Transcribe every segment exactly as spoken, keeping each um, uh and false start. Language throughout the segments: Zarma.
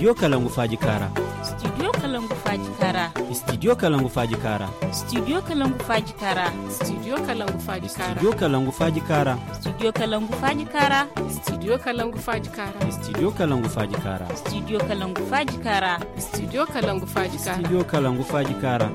Studio Kalangu Faaji Kaara. Studio Kalangu Faaji Kaara. Studio Kalangu Faaji Kaara. Studio Kalangu Faaji Kaara. Studio Kalangu Faaji Kaara. Studio Kalangu Faaji Kaara. Studio Kalangu Faaji Kaara. Studio Kalangu Faaji Kaara. Studio Kalangu Faaji Kaara. Studio Kalangu Faaji Kaara. Studio Kalangu Faaji Kaara. Studio Kalangu Faaji Kaara.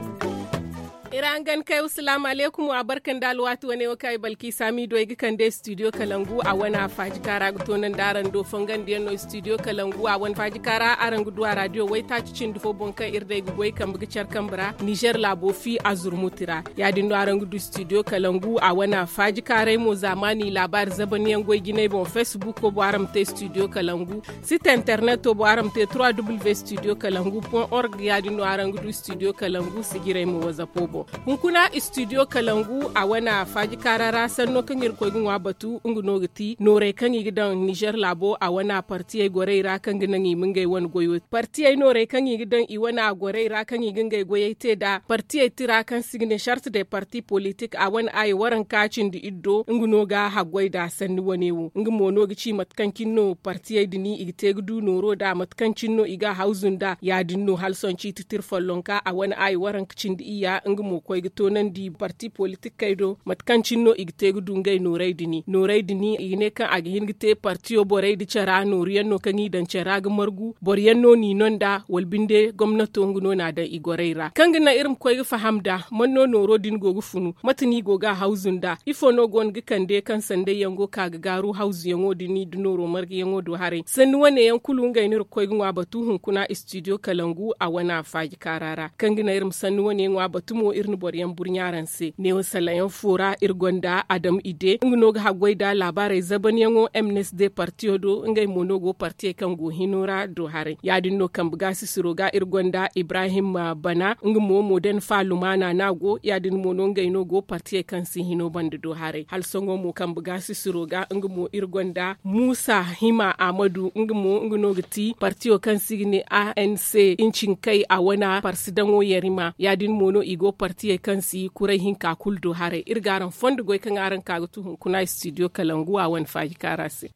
Iri hangan kay, wa salaamu aleykum, wa barka nda alwaati wane wo kaŋ ay Balki Saamiido ay ga kande studio Kalangu a wane a Faaji Kaara ga toonandi araŋ do. Fongandiyaŋ no studio Kalangu a wane Faaji Kaara, araŋ ga du a raadiyo waytaaci cindi fo boŋ kaŋ iri day ga goy kambe ga care kambe ra Nizer laabo fi a zurmuti ra. Ya-din no araŋ ga du studio Kalangu a wane a Faaji Kaaray mo, zaamaani laabaari zabanyaŋ goy jinay boŋ. Feesbuko boŋ araŋ ma te studio Kalangu. Site interneto boŋ araŋ ma te trois w studio kalangu point org. Ya-din no araŋ ga du studio Kalangu sijiray mo wazapo boŋ. Hunkuna studio Kalangu a wane a Faaji Kaara ra sanno kaŋ iri koy ga ŋwa batu, nga no ga ti noorey kaŋ i ga daŋ Nizer laabo a wane a partiyey gorey ra kaŋ ga naŋ i ma ngey wane goyo. Partiyey noorey kaŋ i ga daŋ i wane a gorey ra kaŋ i ga ngey goyey te nd'a partiyey tira kaŋ se i ga ne charte de parti politik a wane a ye waranka cindi iddo, nga no ga haggoy nd'a sanni wane wo. Nga mo no ga ci mate kaŋ cine no partiyey din i ga te ga du nooro nd'a, mate kaŋ cine no i ga a hawzu nd'a. Ya-din no hala sohõ ciiti tira follonka a wane a ye waranka cindi iyya, nga mo koy ga toonandi parti politikey do mate kaŋ cine no i ga te ga du ngey noorey din. Noorey din i ga ne kaŋ a ga hin ga te partiyo borey nda cara nooruyaŋ no kaŋ i daŋ cara ga margu. Boroyaŋ no n'i no nd'a wala binde gomnato nga no n'a daŋ i gorey ra kaŋ ga naŋ iri ma koy ga faham nd'a man no nooro din go ga funu, mate no i go ga a hawzu nd'a, ifo no go no ga kande kaŋ sandayyaŋ go ka ga gaaru hawzuyaŋo din nda nooro marguyaŋo do haray. Sanni wane yaŋ kulu ngey no iri ga koy ga ŋwa batu hunkuna studio kalangu a wane a Faaji Kaara ra. Kaŋ ga naŋ iri ma sanni wane ŋwa batu mo iri na boroyaŋ burɲa araŋ se neewo salayaŋ fo ra iri gonda Adam Ide, nga no ga haggoy nd'a laabaarey zabanyaŋo M N S D partiyo do, ngey mo no go partiyey kaŋ go hino ra do haray. Ya-din no kambe gaasisiro ga iri gonda Ibrahim Bana, nga mo modern fa lumaana no a go. Ya-din mo no ngey no go partiyey kaŋ si hino banda do haray. Hala sohõ mo kambe gaasisiro ga nga mo iri gonda Muusa Hima Ahmadu, nga mo nga no ga ti partiyo kaŋ se i ga ne A N C, incinkay a wane parsidaŋo yarima. Ya-din mo no i go partiyey kaŋ si kuray hinka kulu do haray. Iri ga araŋ fondo goy kaŋ araŋ ka ga tu hunkuna studio kalangu a wane Faaji Kaara se.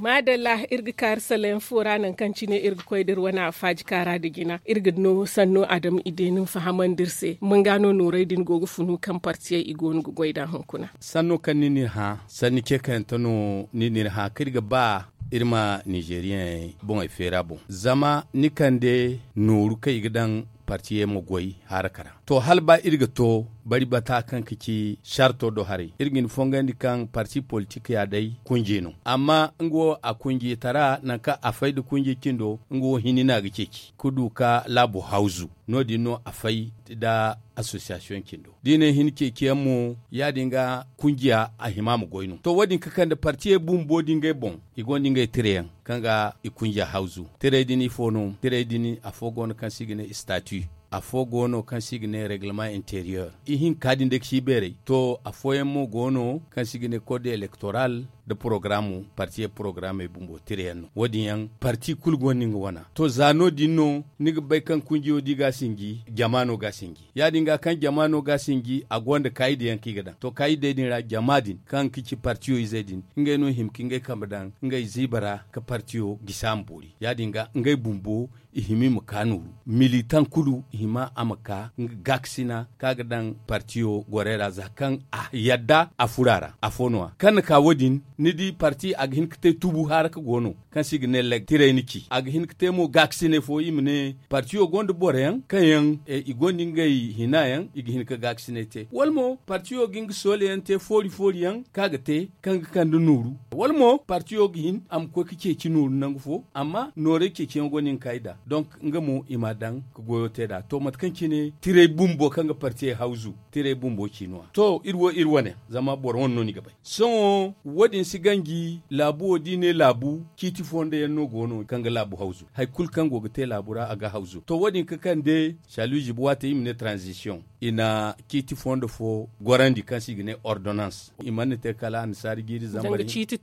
Maadalla, iri ga kaari salayaŋ fo ra nangu kaŋ cine iri ga koy da iri wane a Faaji Kaara nda jina. Iri ga no sanno Adam Ide nin fahamandi iri se manga no nooray din go ga funu kaŋ partiyey i go no ga goy nd'a hunkuna. Sanno kaŋ ni n'iri hã sanni ce kayante no ni n'iri hã kaŋ iri ga ba iri ma nizeriyaŋey boŋey feera boŋ. Zama ni kande nooru kaŋ i ga daŋ partiyey ma goy haraka ra. To hala ba iri ga to bari bata kaŋ ga ci sarto do haray iri ga ni fongandi kaŋ parti politik ya day kunje no. Amma nga wo a kunjetara nangu kaŋ a fay nda kunje cindo nga wo hinne no a ga ceeci ga du ka laabo hawzu. No- din no a fay nda asosiyasiyoŋ cindo da i ne hin ceeciyaŋ mo ya- din ga kunjiya a hima ma goy no to wo- din ga kande partiyey bumbo da ngey boŋ i gonda ngey tireyaŋ kaŋ ga i kunjiya hawzu. Tirey din ifo no tirey din afo go no kaŋ se i ga ne istati. Afo go no kaŋ se i ga ne reglement interior ihinka din day ga si beeray to afooyaŋ mo go no kaŋ se i ga ne kode elektoral nda porogaramu partiyey porogaramey bumbo tireyaŋ no wo- din yaŋ. Parti kulu gonda nga wana to za no- din no ni ga bay kaŋ kunjiyo da i ga a sinji jama no ga a sinji. Ya- din ga kaŋ jama no ga a sinji a gonda kaayidayaŋ kaŋ i ga daŋ to kaayidey din ra jama din kaŋ ga ci partiyo izey din ngey no hima ka ngey kambe daŋ ngey ziiba ra ka partiyo gisi a ma boori ya- din ga ngey bumbo i hima i ma ka nooru militaŋ kulu i hima a ma ka nga gaakasina kaŋ a ga daŋ partiyo gorey ra za kaŋ a yadda a furo a ra afo no- ya kaŋ na ka wo- din ni di parti a ga hin ka te tubu haraka go no kaŋ se i ga ne leg tirey na ci a ga hin ka te mo gaakasinay fo i ma ne partiyo gonda boroyaŋ kaŋ yaŋ i gonda ngey hina yaŋ i ga hin ka gaakasinay te wala mo partiyo ga nga soolayaŋ te foori foori yaŋ kaŋ a ga te kaŋ ga kande nooru wala mo partiyo ga hin a ma koy ka ceeci nooru nangu fo amma noorey ceeciyaŋ gonda nga kaayda donk nga mo i m'a daŋ ka goyo te nd'a to mate kaŋ cine tirey bumbo kaŋ ga partiyey hawzu tirey bumbo ci no- ya to iri wo iri wane zama boro wane no ni ga bay sohõ wo- din. Ti ganji laabu wo da i ne laabu, ciiti fondo yaŋ no go no kaŋ ga laabu hawzu. Hari kulu kaŋ go ga te laabu ra, a ga hawzu. To, wo- din ga kande, saluuzi buwa te i ma ne tranzisiyoŋ. I na ciiti fondo fo gorandi kaŋ se i ga ne ordonans. I mana te kala annasaari jiiri zambar. Ciiti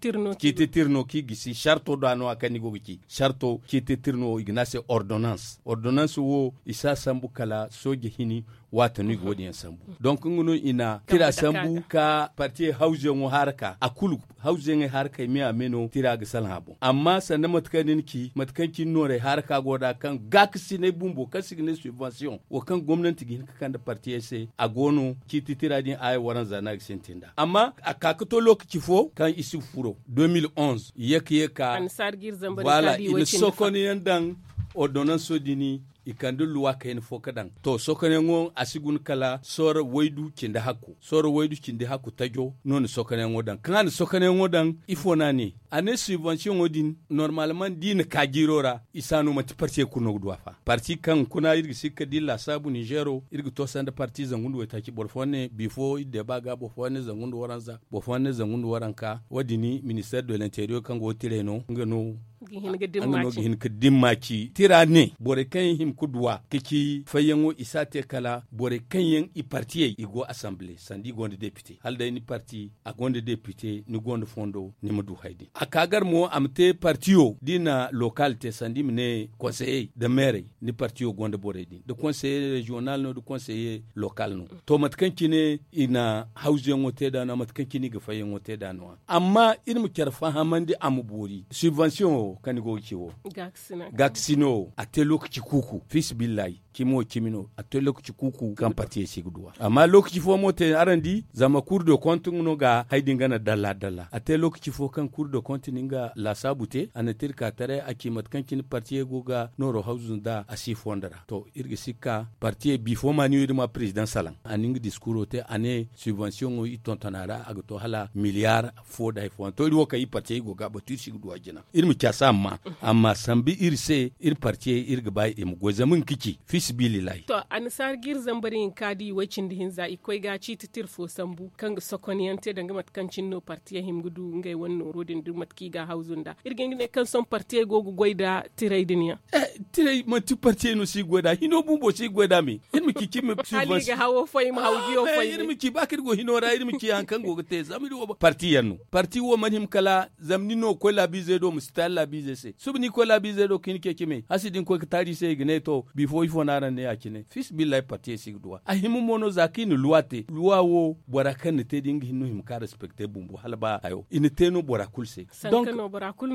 tirno kaŋ i gisi sarto da no a kaŋ ni go ga ci sarto ciiti tirno i ga ne a se ordonans. Ordonans wo i si a sambu kala sooje hini. Waati no i ga wo- din yaŋ sambu. Donk nga no i na tira sambu ka partiye hawzuyaŋo haara ka a kulu. Hawzuyaŋey haara ka i me a me no tira ga salaŋ a boŋ amma sanda mate kaŋ ni na ci mate kaŋ cine noorey haara ka go nd'a kaŋ gaakasinay bumbo kaŋ se i ga ne subvensiyoŋ wo kaŋ gomnanti ga hin ka kande partiyey se a go no ciiti tira din aya waranza no a ga sintin nd'a amma a ka ga to lookaci fo kaŋ i si ga furo. Deux mille onze i ye ka ye ka. Voilà i na sokonyaŋ daŋ ordonanso din i kande luwa kayna fo ga daŋ. To sokonyaŋo a si guna kala sooro waydu cindi hakku sooro waydu cindi hakku tajo no na sokonyaŋo daŋ kaŋ a na sokonyaŋo daŋ. Ifo no a ne a ne subvensiyoŋo din normalman da i na ka jiiro ra i si a no manti partiyey kulu no ga du a fa. Parti kaŋ kuna iri ga si ga kala da iri laasaabu ninzeero iri ga to sanda parti zangu nda waytaaci boro fooyaŋ ne biifo iri deeba ga boro fooyaŋ ne zangu nda waranza boro fooyaŋ ne zangu nda waranka wo- din ministeer de l'interiyeer kaŋ go ga tiray no nga no ga hin ga dimmaci tira ne borey kaŋ yaŋ hima ga duw'a ga ci fayyaŋo i si a te kala borey kaŋ yaŋ i partiyey i go asanbile sanda i gonda depite hala day ni parti a gonda depite ni gonda fondo ni ma du hari din a ka gar mo a ma te partiyo da i na lokal te sanda i ma ne konseyey nda meerey ni partiyo gonda borey din nda konseye reziyonal no nda konseye lokal no. To mate kaŋ cine i na hawzuyaŋo te nd'a no- ya mate kaŋ cine i ga fayyaŋo te nd'a no- ya amma iri ma care fahamandi a ma boori subvensiyoŋo kaŋ ni go ga ci wo gaakasino wo a te lookaci kuuku fiisabilillahi cimi wo cimi no a te lookaci kuuku kaŋ partiyey se i ga duw'a amma lookaci fo mo te araŋ di zama kuur de kont nga no ga hari din gana dalla dalla a te lookaci fo kaŋ kuur de kont na nga laasaabu te a na te iri ka taray a ci mate kaŋ cine partiyey go ga nooro hawzu nd'a a si fondo ra to iri ga si ga ka partiyey biifo maaniyo iri ma prezidaŋ salaŋ a na nga diskuuro te a ne subvensiyoŋo iri tonton a ra a ga to hala miliyaar fo nda hari fooyaŋ to iri wo kaŋ iri partiyey go ga a batu iri si ga du a jina iri ma caasa amma amma sambu iri se iri partiyey iri ga ba i ma goy zama nga ga ci fiisabilillahi. To annasaari jiiri zambar hinka da i way cindi hinza i ga koy ga ciiti tira fo sambu kaŋ ga sokonyaŋ te danga mate kaŋ cine no partiyey hima ga du ngey wane nooro din da mate kaŋ i ga a hawzu nd'a iri ga hin ga ne kaŋ sohõ partiyey go ga goy nda tiray din yaŋ. Tiray manti partiyey no si ga goy nd'a hino bumbo si ga goy nd'a me iri ma ci cimi. Hala i ga hawo fo i ma haw jiyo fo iri ma ci ba kaŋ iri go hino ra iri ma ci hari kaŋ go ga te zama iri wo parti yaŋ no parti wo mana hima kala zama ni no ga koy laabiizey do ma si taali laabiizey se suba ni ga koy laabiizey do ga hin ga ceeci me hasi da ni koy ga taali i se i ga ne to biifo ifo no araŋ ne ya- cine fiisabilillahi partiyey si ga duw'a a hima mo no za kaŋ i na luwa te luwa wo bora kaŋ na te da nga hinne no hima ka respekte bumbo hala ba hayo i na te no bora kulu se.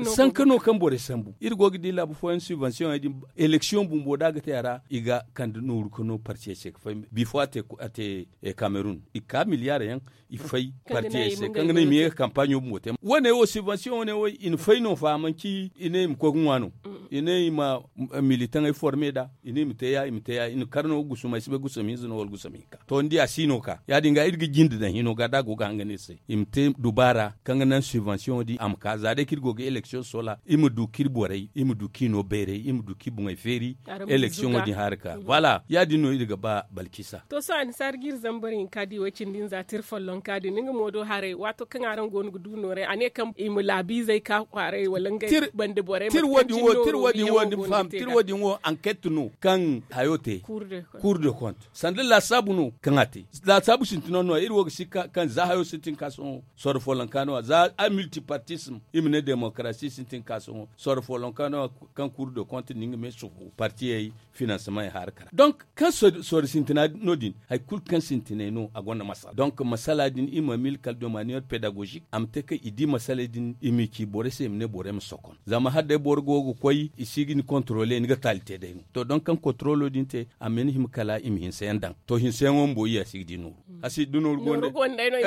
Sanka no kaŋ borey sambu iri go ga di laabu fooyaŋ subvensiyoŋey din eleksiyoŋ bumbo da a ga te a ra i ga kande nooru ka no partiyey se ga fay biifo a te kamerun i ga ka miliyaar yaŋ i fay partiyey se kaŋ ga naŋ i ma ye ga kampaaɲo bumbo te wane wo subvensiyoŋ wane wo i na fay no fa manci i ne i ma koy ga ŋwa no i ne i ma militaŋey forme nd'a i ne i ma te ya i ma te ya i na kar no gusum ay si bay gusum hinza no wala gusum hinka to ni di a si no ka ya- din ga iri ga jinde daŋ hino ga da a go ga hangan iri se i ma te dubaara kaŋ ga naŋ subvensiyoŋo din a ma ka za day kaŋ iri go ga eleksiyoŋ soola iri ma du kaŋ iri borey iri ma du kaŋ i no bayray iri ma du kaŋ i boŋey feeri eleksiyoŋo din haara ka voilà ya- din no iri ga ba balkisa. To sohõ annasaara ga iri zambar hinka di way cindi nza tira follonka din nga mo do haray waato kaŋ araŋ go no ga du nooray a ne kaŋ i ma laabiizey ka kwaaray wala ngey bande borey tir wo- din wo tir wo- din wo ni ma faham tir wo- din wo anket no kaŋ hayo te kuur de kont sanda laasaabu no kaŋ a te laasaabu sintina no iri wo ga si kaŋ za hayo sintin ka sohõ sorro follonka no a za a miltipartism i ma ne demokarasi sintin ka sohõ sorro follonka no a kaŋ kuur de kont no nga me sufu partiyey finansemen haara kara donk kaŋ sorro sintina no- din hari kulu kaŋ sintinay no a gonda masala donk masala din i ma mil kala de maniyeer pedagozik a ma te kaŋ i di masaley din i m'i ci borey se i ma ne borey ma sokon zama hala day boro go ga koy i si ga ni kontrole ni ga taali te day no to donk kaŋ kontrolo din te a ma ni hima kala i ma hinsayaŋ daŋ to hinsayaŋo bumbo i ya si ga di nooru a si da nooru gonda day no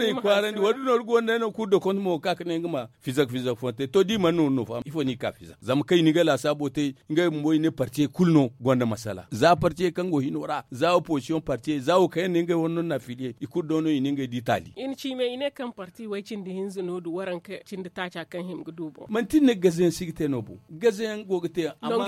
i kwaarandi wala da nooru gonda day no kuur de kont mo ga ka ga ne nga ma fizak fizak fooyaŋ te to da i mana nooru no fa ifo no i ka fizak zama kaŋ i na ngey laasaabo te ngey bumbo i ne partiyey kulu no gonda masala za partiyey kaŋ go hino ra za opozisiyoŋ partiyey za wo kaŋ yaŋ ne ngey wane no na afiliye i kulu do no i ne ngey di taali i na ci me i ne kaŋ parti way cindi hinza no du waranka cindi taaca kaŋ hima ga du boŋ manti ni ne gaze yaŋ si ga te no boŋ gaze yaŋ go ga te. Amma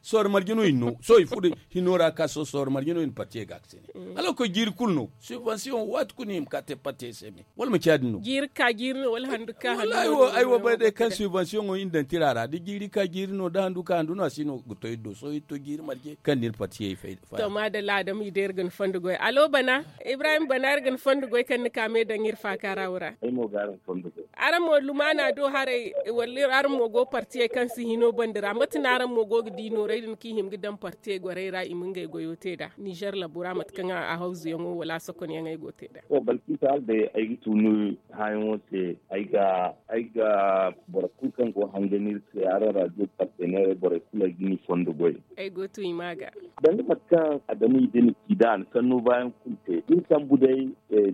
sohõ marje no i no sohõ i furo hino ra ka sohõ sohõ marje no i na partiyey ga a ga se ne. Hala ga koy jiiri kulu no, subvention waati kulu no i ma ka te partiyey se me. Wala manci ya- din no? Jiiri ka jiiri no wala handu ka handu no? Ay wo bay day kaŋ subvention ŋo i na daŋ tira ra da jiiri ka jiiri no da handu ka handu no a si no ga to iri do sohõ iri to jiiri marje kaŋ da iri partiyey fay. To maadalla adama i day iri ga ni fondo goy alo bana. Ibrahim bana iri ga ni fondo goy kaŋ ni ka me daŋ iri faaka ra wo ra. Araŋ mo lumaana do haray wala araŋ mo go partiyey kaŋ si hino bandi ra mate no araŋ mo go ga di nooray din kaŋ i hima ga daŋ partiyey gorey ra i ma ngey goyo te nd'a nizer labu ra mate kaŋ a hawzuyaŋo wala a sokonyaŋey go te nd'a? Balkisa hala day ay ga tunu haayaŋo se. Ay ga boro kulu kaŋ go hangani iri se araŋ radio partenairey borey kulu ay ga ni fondo goy. Ay go tun i ma ga. Danga mate kaŋ adama i da ni ci da a na sanno baayaŋ kulu te iri sambu day.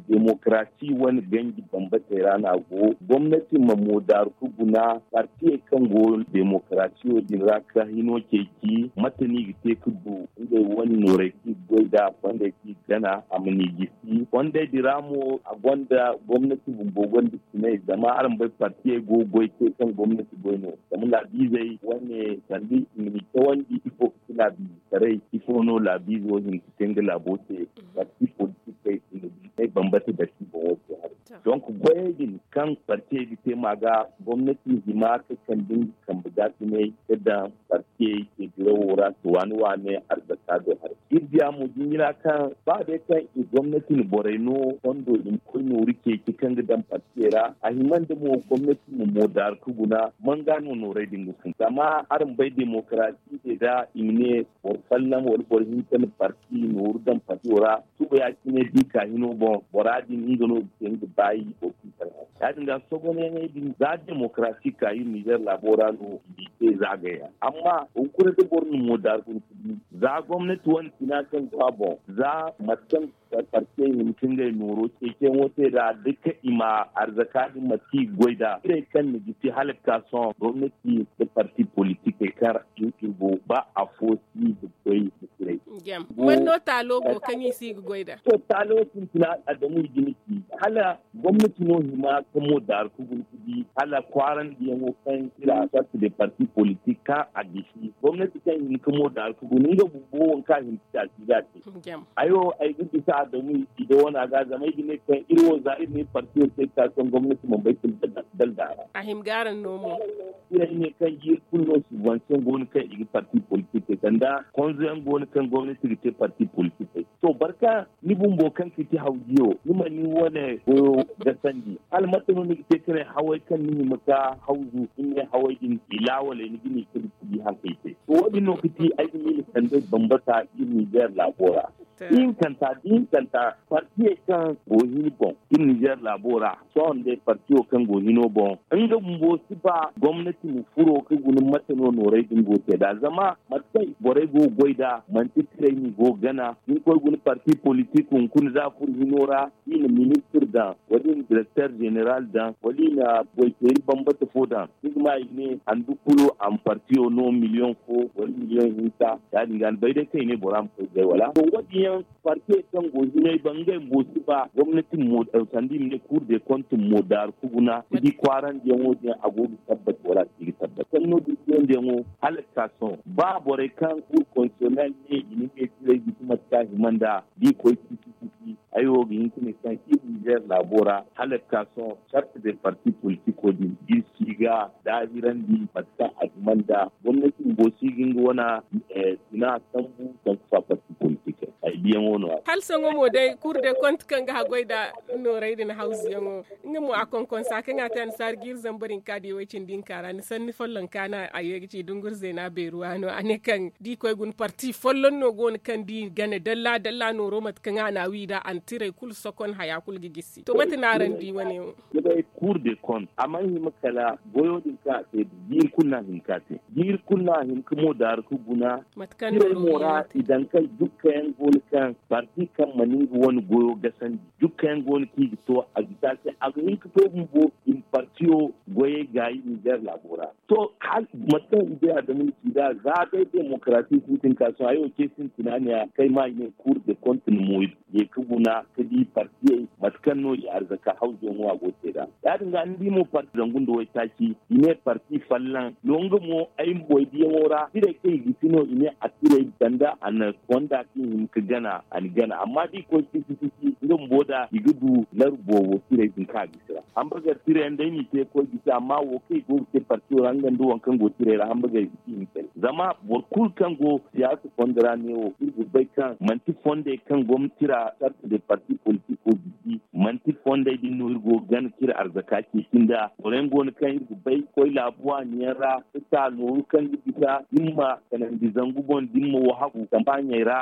Demokarasi wane ganji bambatey ra no a go gomnati ma moodaaru ka guna partiyey kaŋ go demokarasiyo din ra ka hino ceeci mate no i ga te ka du ngey wane noorey kaŋ i ga goy nd'a fondey kaŋ i ga gana a ma ni gisi fondey din ra mo a gonda gomnati bumbo gonda cinay zama araŋ bay partiyey go ga goy te kaŋ gomnati goy no zama laabiizey wane sanda i ma ni cawandi ifo ga ci laabiize taray ifo no laabiize wo hin ga te nga laabo se. Parti politikey i ma di ay bambata datti boŋo se haray. Donc goyey din kaŋ partiyey ga te ma ga gomnati hima ka kande nga kambe gaasiney ka daŋ partiyey se dirawo ra se waani waani arzaka do haray iri diya mo jinjina kaŋ ba day kaŋ i gomnati na borey no fondo i ma koy nooru ceeci kaŋ ga daŋ partiyey ra a hima nda mo gomnati ma moodaaru ka guna manga no noorey din ga fun zama araŋ bay demokarasi se da i ma ne boro folloŋ wala boro hinka na parti nooru daŋ partiyo ra suba ya- cine da i ka hino boŋ bora din nga no ga te nga baayi boro kulu kaŋ ra ya- din ga sogonayaŋey din za demokarasi ka iri nizer laabo ra no i te zaagay ra amma hunkuna da boro na moodaaru guna ka di za gomnati wane tina kaŋ go a boŋ za mate kaŋ partiyey hima ka ngey nooro ceeciyaŋo te nd'a da ka i ma arzaka din mate kaŋ i ga goy nd'a tirey kaŋ na gisi hala ga ka sohõ gomnati nda parti politikey kaŋ ra i ga iri go ba afo si ga goy ga tirey. Man no taalo go kaŋ i si ga goy nd'a? To taalo sintina adamu i ga ni ci hala gomnati no hima ka mo daaru ka guna ka di hala kwaarandiyaŋo kaŋ iri a sorte de parti politik kaŋ a gisi gomnati kaŋ hima ka mo daaru ka guna nga bumbo wo kaŋ a hima ka ci a si ga a te. Ay wo ay ga bisa adamu i da wana ga zama ay ga ne kaŋ iri wo za iri ne parti wo te ka kaŋ gomnati mana bay kulu daldala ra. A hima ga araŋ no mo. Iri ay ne kaŋ jiiri kulu no subvention go no kaŋ i ga parti politik te sanda konzo yaŋ go no kaŋ gomnati ga te parti politik te. To barka ni bumbo kaŋ ga ti hawjiyo ni ma ni wane goyo gasandi hala mate no ni ga te ka ne haway kaŋ ni hima ka hawzu ni ne haway din i laawaley ni ga ne ka di hankey te. To wo- din no ga ti ay ga miila sanday bambata iri nizer laabo ra. Ihinkanta da ihinkanta partiyey kaŋ go hini boŋ iri nizer laabo ra sohõ day partiyo kaŋ go hino boŋ nga bumbo si ba gomnati ma furo ka guna mate no noorey din go te nd'a zama mate kaŋ borey go ga goy nd'a manti tirey no i go ga gana da ni koy guna parti politik hunkuna za a furo hino ra i na ministir daŋ wala i na direkter jeneral daŋ wala i na goy feeri bambata fo daŋ ni ga ma i ga ne handu kulu a ma partiyo no miliyoŋ fo wala miliyoŋ hinka ya- din ga ni bay day kaŋ i ne bora ma koy gay wala to wo- din yaŋ partiyey kaŋ go hinay ba ngey bumbo si ba gomnati mo sanda i ma ne kuur de kont mo daaru ka guna ka di kwaarandiyaŋo din a go ga tabbat wala a si ga tabbat sanno din teyandiyaŋo hala ga ka sohõ ba borey kaŋ kuur konstitisyonel ne i na ngey tirey gisi mate kaŋ a hima nd'a da i koy cisi cisi ay wo ga hin ka ne kaŋ iri nizer laabo ra hala ga ka sohõ sarte de parti politiko din iri si ga daahirandi mate kaŋ a hima nd'a gomnati bumbo si ga nga wana sina sambu sanku fa parti politik ay diyaŋo no- ya. Hala sohõ mo day kuur de kont kaŋ ga haggoy nda noorey din hawzuyaŋo nga mo a konkonsa kaŋ a te annasaari ga iri zambar hinka da i way cindi hinka ra ni sanni follonka no a ye ga ci dunguri zeena beeruwa no a ne kaŋ da i koy guna parti folloŋ no go no kaŋ da i gane dalla dalla nooro mate kaŋ a na a wi nd'a a na tirey kulu sokon haya kulu ga gisi to mate no araŋ di wane wo? Ni bay kuur de kont a mana hima kala goyo din kaŋ a te jiiri kulu no a hima ka te jiiri kulu no a hima ka mo daaru ka guna tirey mo ra i daŋ kaŋ dukka yaŋ go no kaŋ parti kaŋ mana nga wane goyo gasandi dukka yaŋ go no kaŋ i ga to a ga taasi a ga hin ka to bumbo i ma partiyo goyey gaayi nizer laabo ra. To hala mate kaŋ i bay adamu ni ci nd'a za day demokarasi sintin ka sohõ ay wo ce sintina ne ya kay ma i ne kuur de kont na mo ye ka guna ka di partiyey mate kaŋ no i arzaka hawzo no a go te nd'a ya- din ga ni di mo. Zangu nda waytaaci i ne parti fallan no nga mo ay ma boy diyaŋo ra tirey kaŋ i ga si no i ne a tirey sanda a na konda kaŋ i hima ga gana a na gana amma da i koy fisi fisi nga bumbo da i ga du laru boobo tirey din kaŋ a ga si ra. Hamburger tirey yaŋ day no i te ga koy ga si amma wo kaŋ i go ga te partiyo ra nga nda waŋ kaŋ go tirey ra hamburger i ga si i ma kay. Zama boro kulu kaŋ go siyaasa fondo ra neewo iri ga bay kaŋ manti fondey kaŋ gomnati ra sarta de parti politiko ga si manti fondey din no iri go ga gana ka iri arzaka ceeci nda boro yaŋ go no kaŋ iri ga bay koy laabu waani yaŋ ra ka ta nooru kaŋ ga bisa da ni ma kanandi zangu boŋ da ni ma wahagu kampaaɲey ra.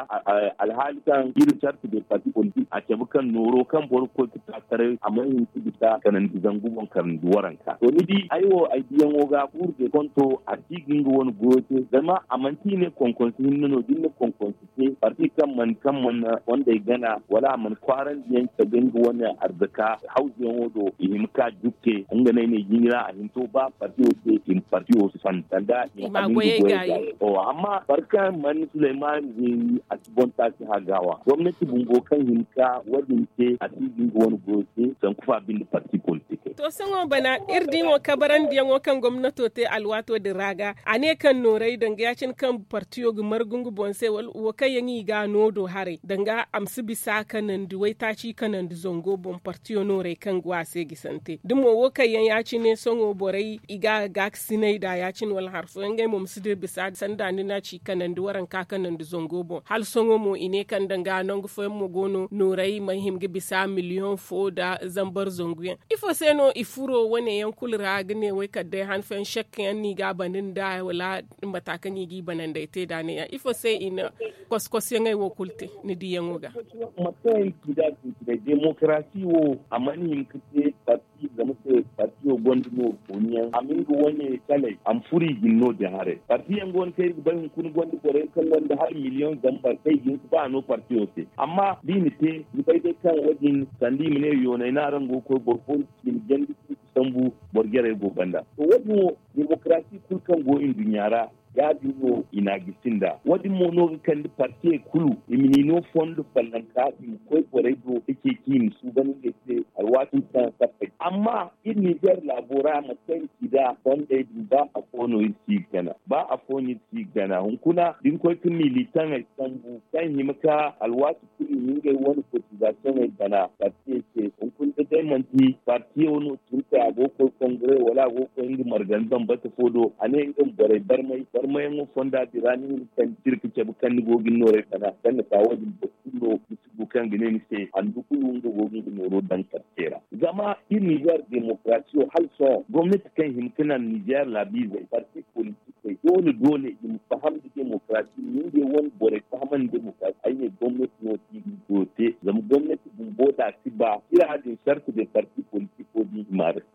Alhaali kaŋ iri sarta de parti politik a cabe kaŋ nooro kaŋ boro ga koy ga ta taray a mana hin ga bisa kanandi zangu boŋ kanandi waranka to ni di ay wo ay diyaŋo ga kuuru de konto a si ga nga wane goyo te zama a manti i ne konkonsi hinne no da ni na konkonsi te parti kaŋ mana kaŋ mana fondey gana wala a mana kwaarandi yaŋ cabe nga wane arzaka hawzuyaŋo do i hima ka jukke nga no ay ne jiiri ra a hin to ba partiyo se i ma partiyo fan sanda i ma goyey gaayi. Amma boro kaŋ mana suleymaani zeeri a si boŋ taaci hagawa gomnati bumbo kaŋ hima ka wo- din te a si ga nga wane goyo te sanku fa binde parti politikey. To sohõ bana iri di mo kabarandiyaŋo kaŋ gomnato te alwaato din ra ga a ne kaŋ nooray danga ya- cine kaŋ partiyo ga margu nga boŋ se wala wo kaŋ yaŋ i ga a no do haray danga a ma si bisa kanandi waytaaci kanandi zango boŋ partiyo nooray kaŋ go a se gisante da mo wo kaŋ yaŋ ya- cine sohõ borey i ga a gaakasinay nd'a ya- cine wala hari fooyaŋ ngey mo ma si dira bisa sanda ni na ci kanandi waranka kanandi zango boŋ hala sohõ mo i ne kaŋ danga nangu fooyaŋ mo go no nooray mana hima ga bisa miliyoŋ fo nda zambar zangu yaŋ ifo se no i furo wane yaŋ kulu ra ga ne way kala day han fooyaŋ sekka yaŋ no i ga a bana nd'a wala mata kaŋ i g'i bananday te nd'a ne- ya ifo se i na koskosyaŋey wo kulu te ni diyaŋo ga? Mate kaŋ i ga sintinay demokarasi wo a mana hin ga te parti zama se partiyo gonda nooru kooniyaŋ a ma nga wane calay a ma furo i jine no- din haray partiyaŋ go no kaŋ iri ga bay hunkuna gonda borey kaŋ gonda hala miliyoŋ zambar kaŋ i ga hin ga ba no partiyo se amma da i na te ni bay day kaŋ wo- din sanda i ma ne yoonay no araŋ go ga koy boro fo ni si i ma jandi sambu boro jarey go banda to wo- din wo demokarasi kulu kaŋ go nduɲɲa ra ya- din no i na a gisi nd'a wo- din mo no ga kande partiyey kulu i ma ni no fondo fallanka i ma koy borey do ga ceeci i ma suuban ngey se alwaati kaŋ sappey amma iri nizeer laabo ra mate kaŋ iri ci nd'a fondey din ba afo no iri si ga gana ba afo no iri si ga gana hunkuna da ni koy ga militaŋey sambu kaŋ hima ka alwaati kulu i ma ngey wane kotizasiyoŋey bana partiyey se hunkuna da day manti partiyo no tun kay a go ga koy kongare wala a go ga koy nga margani bambata fo do a ne nga ma borey barmay barmayaŋo fonda din ra ni ma ni kaŋ jirka cabe kaŋ ni go ga ni noorey bana kaŋ na ka wo- din boro kulu no ni si du kaŋ ga ne ni se handu kulu nga go ga nga nooro daŋ karte ra zama iri nizeer demokarasiyo hala sohõ gomnati kaŋ hima ga naŋ nizeer laabiizey parti politik doole doole i ma faham da demokarasi i ma ngey wane borey fahamandi demokarasi ay ne gomnati no kaŋ i ga goyo te zama gomnati bumbo da a si ba ira din sarta de parti politiko din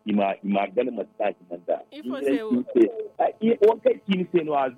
i ma gana mate kaŋ a hima nd'a. Ifo se wo? Wo kaŋ i ci ni se no a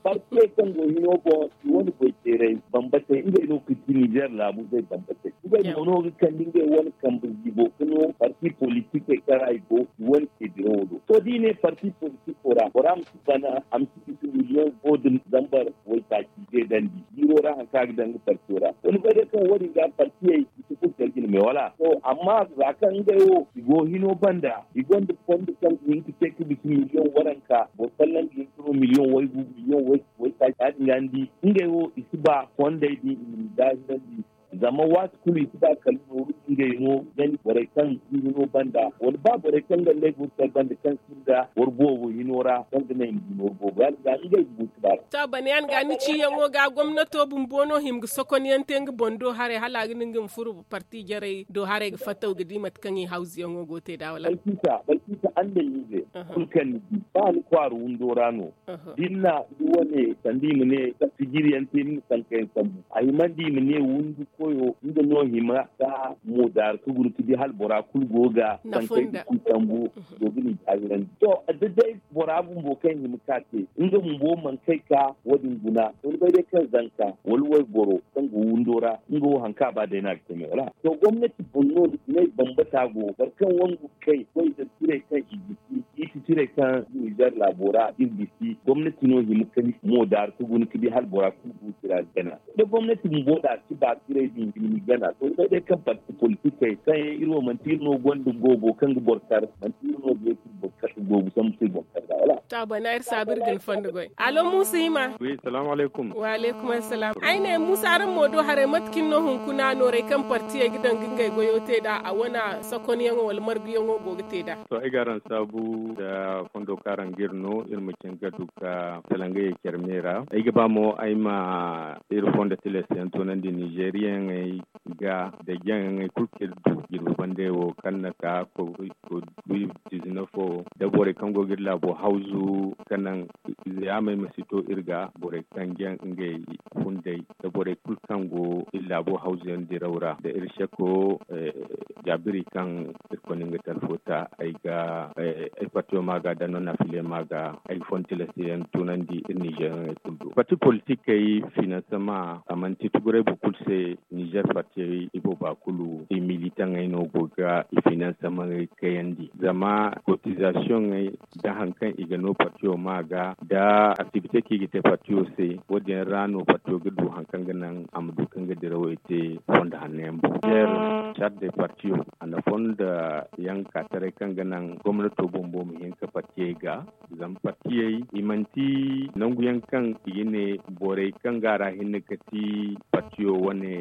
partiyey kaŋ go hino boŋ i wane goy teeray bambatey ngey no ga ti nizeer laabu zey bambatey ngey mo no ga kande ngey wane kambe ziibo ga no parti politikey kaŋ ra i go i wane ceediraŋo do to da i ne parti politiko ra bora ma si bana a ma si bisa miliyoŋ fo nda zambar waytaaci zeedandi jiiro ra hari kaŋ a ga daŋ ga partiyo ra to ni bay day kaŋ wo- din ga partiyey i si furo care jine me wala to amma za kaŋ ngey wo i go hino banda i gonda fondo kaŋ ga hin ga te ga bisa miliyoŋ waranka boro folloŋ ga hin ga no miliyoŋ waygu miliyoŋ waytaaci ya- din ga ni di ngey wo i si ba fondey din i ma ni daahirandi zama waati kulu i si ba kala nooru ngey no gani borey kaŋ ga hino banda wala ba borey kaŋ ga ngey go ga care banda kaŋ sinda boro boobo hino ra kaŋ ga naŋ i ma du nooru boobo ya- din ga ngey ga bu si ba. To bana yaŋ ga ni ciyaŋo ga gomnato bumbo no hima ga sokonyaŋ te nga boŋ do haray hala a ga naŋ nga ma furo parti jarey do haray ga fattaw ga di mate kaŋ i hawzuyaŋo go ga te nd'a wala? Balkisa balkisa andamize kulu kaŋ ni di ba ni kwaara windo ra no da ni na ni wane sanda i ma ne sijiriyaŋ te ni ma sankayaŋ sambu a himandi i ma ne windi koyo nga no hima ka moodaara ka guna ka di hala bora kulu go ga sankay ga ku sambu go ga ni daahirandi to da day bora bumbo kaŋ hima ka te nga bumbo mana kay ka wo- din guna to ni bay day kaŋ zanka wala wayboro kaŋ go windo ra nga wo hari kaŋ a ba day no a ga te me wala to gomnati boŋ no i ne bambata go boro kaŋ wangu ga kay goy da tirey kaŋ i ga ci i si Tirey kaŋ nizer laabo ra iri ga si gomnati no hima ka ni mo daaru ka guna ka di hala bora kulu go tira gana. Da gomnati bumbo da si ba tirey din ga ni gana to day day kaŋ parti politikey kaŋ yaŋ iri wo manti iri no gonda goobo kaŋ ga boro kar, manti iri no ga yeeti boro kar ga goobo sambu se boro kar ga wala. To a bana iri saabu iri ga ni fondo goy. Alo muusa hima. Wi salaamu alaykum. Wa alaykum assalaam. Ay ne muusa araŋ mo do haray mate cine no hunkuna noorey kaŋ partiyey ga daŋ ga ngey goyo te nd'a a wane sokonyaŋo wala marguyaŋo go ga te nd'a? To ay ga araŋ saabu nda fondo kaŋ araŋ ga iri no iri ma cin ga du ga salangayey care me ra. Ay ga ba mo ay ma iri fondo tilastiyaŋ toonandi nizeriyaŋey ga nda jaŋyaŋey kulu kaŋ iri du jirbi bandey wo kaŋ na ka covid dizinef wo da borey kaŋ go ga iri laabo hawzu kaŋ naŋ ize yaamey ma si to iri ga borey kaŋ jaŋ ngey funday da borey kulu kaŋ go iri laabo hawzuyaŋ diraw ra nda iri seko jaabiri kaŋ iri kone nga talfo ta ay ga ay partiyo ma ga da non afile ma ga ay ga fontila se yaŋ tunandi iri nizer yaŋ ay kulu do parti politikey finansama a manti tuguray boro kulu se nizer partiyey ibooba kulu i militaŋey no go ga i finansama kayandi zama kotizasiyoŋey da hari kaŋ i ga no partiyo ma ga da aktibite kaŋ i ga te partiyo se wo- din ra no partiyo ga du hari kaŋ ga naŋ a ma du kaŋ ga dirawey te fondo hanno yaŋ boŋ. Sart de partiyo a na fondo yaŋ ka taray kaŋ ga naŋ gomnato bumbo ma hin ka partiyey ga zama partiyey i manti nangu yaŋ kaŋ i ga ne borey kaŋ ga a ra hinne ga ti partiyo wane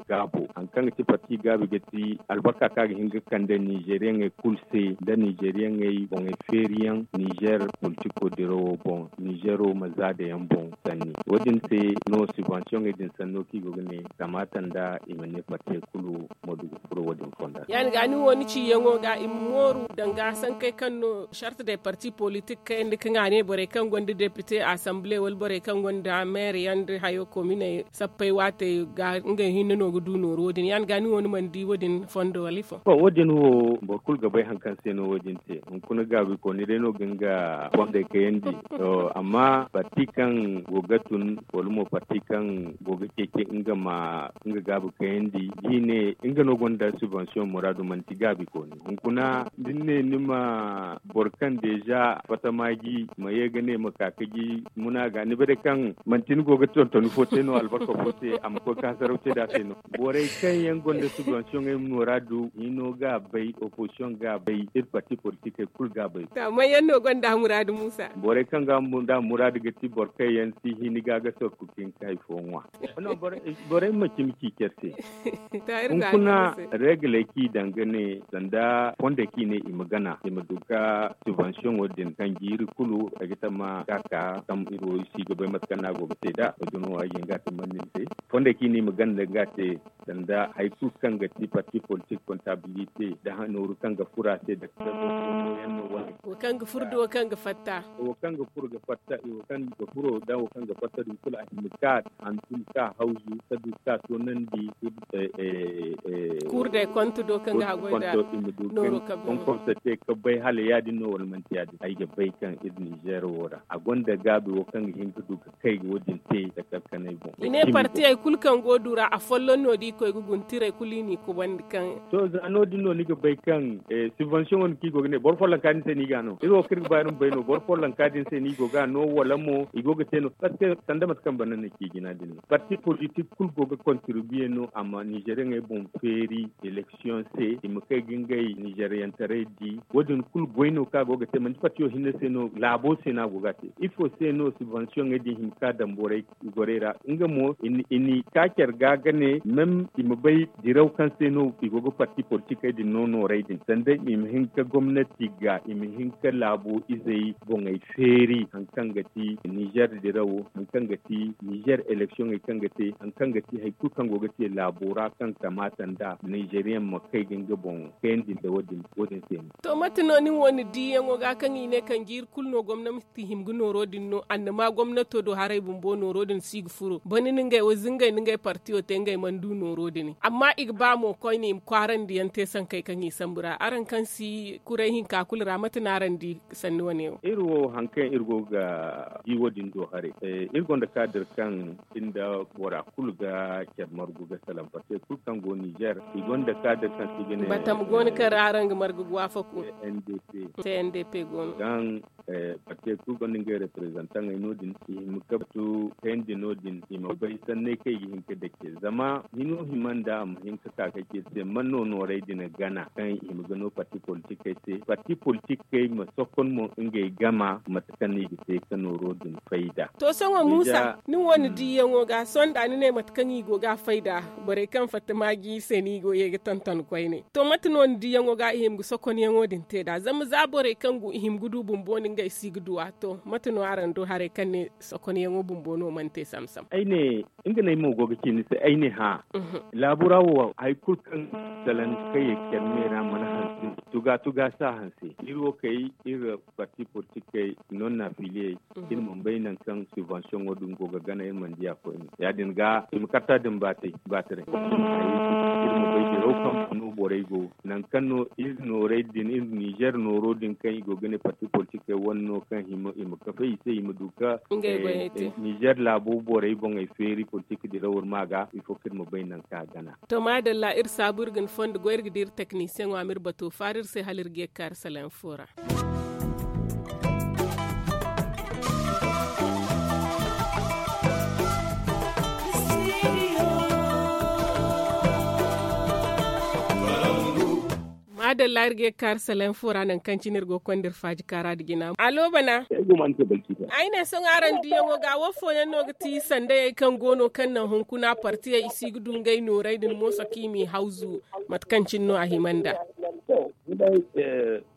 gaabo hari kaŋ ga ti parti gaabi ga ti albarka kaŋ a ga hin ga kande nizeriyaŋey kulu se nda nizeriyaŋey boŋey feeriyaŋ nizer politiko dirawo boŋ nizero ma zaada yaŋ boŋ sanni wo- din se no sibansiyoŋey din sanno kaŋ i go ga ne kamaata nda i ma ne partiyey kulu ma du ga furo wo- din fonda ra. Ya- din ga ni wo ni ciyaŋo ga i ma mooru danga sankey kaŋ no sart de parti politik kayandi kaŋ a ne borey kaŋ gonda depite asambile wala borey kaŋ gonda meere yaŋ nda hayo kominey sappey waatey ga ngey hinne no ga du nooru wo- din ya- din ga ni wo ni mana di wo- din fondo wala ifo. Wo- din wo boro kulu ga bay hari kaŋ se no wo- din te hunkuna gaabi kooni day no ga nga fondey kayandi. Amma parti kaŋ go ga tun wala mo parti kaŋ go ga ceeci nga ma nga gaabi kayandi da i ne nga no gonda sibansiyoŋ muraadu manti gaabi kooni hunkuna da ni ne ni ma boro kaŋ deeza fatta maaji ma ye ga ne ma ka ka ji muna ga ni bay day kaŋ manti ni go ga tontoni fo te no albarka fo te a ma koy ka hasaraw te da a se no. Borey kaŋ yaŋ gonda sibansiyoŋey muraadu hino ga bay opozisiyoŋ ga bay iri parti politikey kulu ga bay. May yaŋ no gonda muraadu muusa? Borey kaŋ ga muraadu ga ti boro kaŋ yaŋ si hini ga ga sorku ka hin ka hari fo ŋwa. Borey ma cimi ci care se. Hunkuna reegaley kaŋ i daŋ ga ne sanda fondey kaŋ i ne i ma gana i ma du ga sibansiyoŋo din kaŋ jiiri kulu ay ga tamma ga ka kaŋ iri wo iri si ga bay mate kaŋ no a go ga te nd'a. Ay ga no ay ga hin ga a tamman ni se fondey kaŋ i ne i ma gana ga a te sanda hari kulu kaŋ ga ti parti politik kontabilite nda nooru kaŋ ga furo a se nda kaŋ ga furo nda wo kaŋ ga fatta. Wo kaŋ ga furo ga fatta i wo kaŋ ga furo nda wo kaŋ ga fatta din kulu a hima ga hantum ka hawzu ka du ka toonandi. Kuur day konto do kaŋ ga haggoy nda nooro kaŋ konkorso te ka bay hala ya- din no wala manti ya- din ay ga bay kaŋ iri nizer wo ra a gonda gaabi wo kaŋ ga hin ga du ga kay ga wo- din te da kar kanay boŋ. I ne partiyey kulu kaŋ go du ra afolloŋ no da i koy ga guna tirey kulu i n'i kubandi kaŋ. To za no- din no ni ga bay kaŋ sibansiyoŋo no kaŋ i go ga ne boro follonka din se no i ga a no iri wo kaŋ iri ga ba iri ma bay no boro follonka din se no i go ga a no wala mo i go ga te no parceque sanda mate kaŋ banda no ci jina din no parti politik kulu go ga kontribiye no a ma nizeriyaŋey boŋ feeri eleksiyoŋ se i ma kay ga ngey nizeriyantaray di wo- din kulu goy no kaŋ a go ga te manti partiyo hinne se no laabo se no a go ga a te ifo se no sibansiyoŋey din hima ka daŋ borey gorey ra nga mo i n'i ka care ga ga ne meme i ma bay diraw kaŋ se no i go ga parti politikey din no noorey din sanda i ma hin ka gomnati ga i ma hin ka laabo izey boŋey feeri hari kaŋ ga ti nizer dirawo hari kaŋ ga ti nizer eleksiyoŋey kaŋ ga te hari kaŋ ga ti hari kulu kaŋ go ga te laabo ra kaŋ kamaata nda nizeriyaŋ ma kay ga nga boŋ kayandi nda wo- din se no. To mate no nin wo ni diyaŋo ga kaŋ i ne kaŋ jiiri kulu no gomnati hima ga nooro din no annama gomnato do haray bumbo nooro din si ga furo bone ni ngey wo zingey ni ngey partiyo te ngey mana du nooro din amma i ga ba mo koyne i ma kwaarandi yaŋ te sankey kaŋ i sambu ra araŋ kaŋ si kuray hinka kulu ra mate no araŋ Sanni wane wo iri wo hari kaŋ iri go ga di wo- din do haray. Iri gonda kaadir kaŋ iri nda bora kulu ga care margu ga salaŋ parti kulu kaŋ go nizer i gonda kaadir kaŋ si ga ne batam go no kaŋ ra araŋ ga margu ga waafaku. N d p go no. Parti kulu gonda ngey reprezantaŋey no- din i hima ga batu kayandi no- din i ma bay sanney kaŋ i ga hin ga dake zama hino hima nda a ma hin ga ka ga ci iri se man no noorey din gana kaŋ i hima ga no parti politikey se parti politikey ma sokon mo ngey gama mate kaŋ no i ga te ga nooro din fayda. To sohõ muusa ni wo ni diiyaŋo ga sohõ da ni ne mate kaŋ i go ga a fayda borey kaŋ fatta maaji iri se no i go ye ga tonton koyne to mate no ni diiyaŋo ga i hima ga sokonyaŋo din te nd'a zama za borey kaŋ go i hima ga du bumbo no ngey si ga du a to mate no araŋ du haray kaŋ ne sokonyaŋo bumbo no mana te samsam. Ay ne nga no ay mo go ga ci ni se ay ne hã. Laabu ra wo hari kulu kaŋ salaŋ kaŋ ye care me ra mana hanse tuga tuga si a hanse iri wo kay iri parti politikey non na filiyey iri mana bay nangu kaŋ subvention wo din go ga gana iri mana di a koyne ya- din ga i ma karta din baataray. Iri ma bay diraw kaŋ no borey go nangu kaŋ no iri noorey din iri nizer nooro din kaŋ i go ga ne parti politikey wane no kaŋ i ma kafay i se i ma du ga nizer laabo borey boŋey feeri politik diraw iri ma ga ifo kaŋ iri ma bay nangu kaŋ a gana. To maadalla iri saabu iri ga ni fondo goy iri ga di iri teknisiyeŋo a ma iri bato faara iri se hala iri ga ye ga kaari salaŋ fo ra. Maadalla iri ga ye ga kaari salaŋ fo ra nangu kaŋ cine iri go ga konda iri faaji kaara nda jina alo bana. Ay ne sohõ araŋ diiyaŋo ga wo fooyaŋ no ga ti sandayey kaŋ go no kaŋ naŋ hunkuna partiyey i si ga du ngey noorey din mooso kaŋ i m'i hawzu mate kaŋ cine no a hima nda.